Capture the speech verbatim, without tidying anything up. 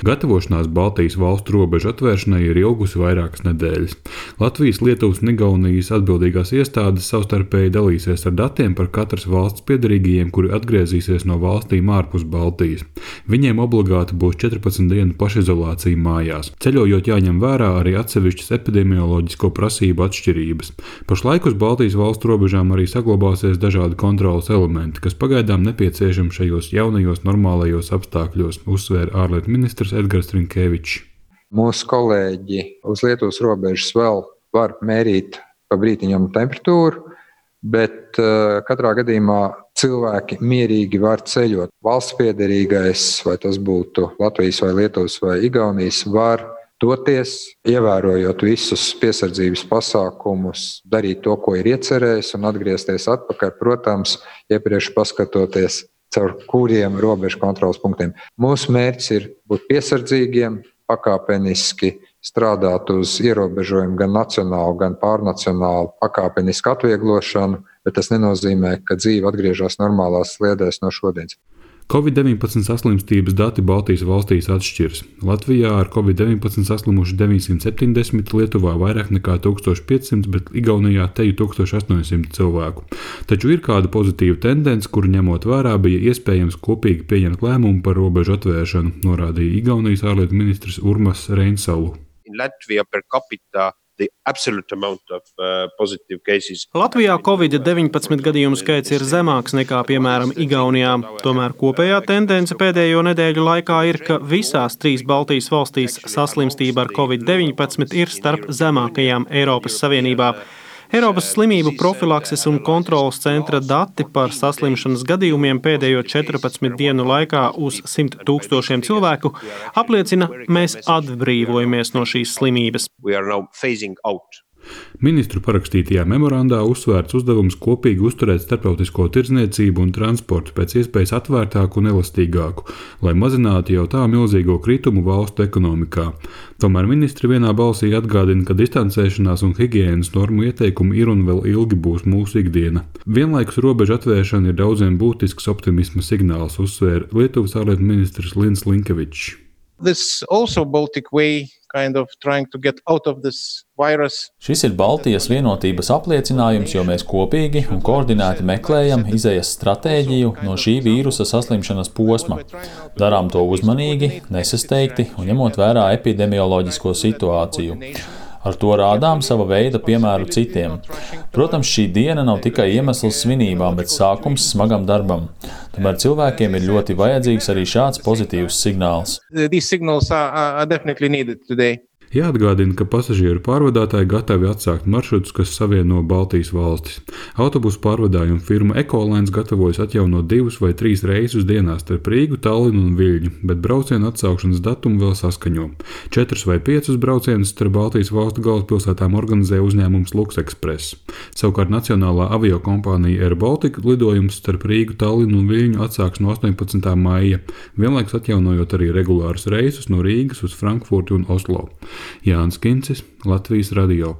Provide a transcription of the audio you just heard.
Gatavošanās Baltijas valstu robežu atvēršanai ir ilgusi vairākas nedēļas. Latvijas, Lietuvas un Igaunijas atbildīgās iestādes savstarpēji dalīsies ar datiem par katras valsts piederīgajiem, kuri atgriezīsies no valstīm ārpus Baltijas. Viņiem obligāti būs četrpadsmit dienu pašizolācija mājās. Ceļojot jāņem vērā arī atsevišķas epidemioloģisko prasību atšķirības. Pašlaik uz Baltijas valstu robežām arī saglabāsies dažādi kontroles elementi, kas pagaidām nepieciešami šajos jaunajos normālajos apstākļos, uzsvēra ārlietu ministrs Edgars Rinkevičs. Mūsu kolēģi uz Lietuvas robežas vēl var mērīt pa brītiņam temperatūru, bet uh, katrā gadījumā cilvēki mierīgi var ceļot. Valsts piederīgais, vai tas būtu Latvijas vai Lietuvas vai Igaunijas, var doties, ievērojot visus piesardzības pasākumus, darīt to, ko ir iecerējis un atgriezties atpakaļ, protams, iepriekš paskatoties, caur kuriem robežu kontroles punktiem. Mūsu mērķis ir būt piesardzīgiem, pakāpeniski strādāt uz ierobežojumu gan nacionālu, gan pārnacionālu pakāpenisku atvieglošanu, bet tas nenozīmē, ka dzīve atgriežas normālās sliedēs no šodienas. covid deviņpadsmit saslimstības dati Baltijas valstīs atšķiras. Latvijā ar covid deviņpadsmit saslimuši deviņsimt septiņdesmit, Lietuvā vairāk nekā tūkstoš piecsimt, bet Igaunijā teju tūkstoš astoņsimt cilvēku. Taču ir kāda pozitīva tendence, kuru ņemot vērā bija iespējams kopīgi pieņemt lēmumu par robežu atvēršanu, norādīja Igaunijas ārlietu ministrs Urmas Reinsalu. Latvijā per capita the absolute amount of uh, positive cases. Latvijā covid deviņpadsmit gadījumu skaits ir zemāks nekā, piemēram, Igaunijā. Tomēr kopējā tendence pēdējo nedēļu laikā ir, ka visās trīs Baltijas valstīs saslimstība ar covid deviņpadsmit ir starp zemākajām Eiropas Savienībā. Eiropas slimību profilakses un kontrolas centra dati par saslimšanas gadījumiem pēdējo četrpadsmit dienu laikā uz simt tūkstošiem cilvēku apliecina, mēs atbrīvojamies no šīs slimības. We are now phasing out. Ministru parakstītajā memorandā uzsvērts uzdevums kopīgi uzturēt starptautisko tirdzniecību un transportu pēc iespējas atvērtāku un elastīgāku, lai mazinātu jau tā milzīgo kritumu valstu ekonomikā. Tomēr ministri vienā balsī atgādina, ka distancēšanās un higienas normu ieteikumi ir un vēl ilgi būs mūsu ikdiena. Vienlaikus robežu atvēršana ir daudziem būtisks optimisma signāls, uzsvēra Lietuvas ārlietu ministrs Lins Linkevičs. This also Baltic way kind of trying to get out of this virus. Šis ir Baltijas vienotības apliecinājums, jo mēs kopīgi un koordinēti meklējam izējas stratēģiju no šī vīrusa saslimšanas posma. Darām to uzmanīgi, nesasteigti un ņemot vērā epidemioloģisko situāciju. Ar to rādām sava veida piemēru citiem. Protams, šī diena nav tikai iemesls svinībām, bet sākums smagam darbam. Tomēr cilvēkiem ir ļoti vajadzīgs arī šāds pozitīvs signāls. These signals are, are definitely needed today. Jāatgādina, ka pasažieru pārvadātāji gatavi atsākt maršrutus, kas savieno Baltijas valstis. Autobusu pārvadājuma firma Ekolines gatavojas atjaunot divus vai trīs reisus dienā starp Rīgu, Tallinu un Viļņu, bet braucienu atsaukšanas datumu vēl saskaņo. Četrus vai piecus braucienus starp Baltijas valstu galvaspilsētām organizē uzņēmums Luksexpress. Savukārt nacionālā aviokompānija Air Baltica lidojums starp Rīgu, Tallinu un Viļņu atsāks no astoņpadsmitā maija, vienlaikus atjaunojot arī regulārus reisus no Rīgas uz Frankfurti un Oslo. Jānis Kincis, Latvijas radio.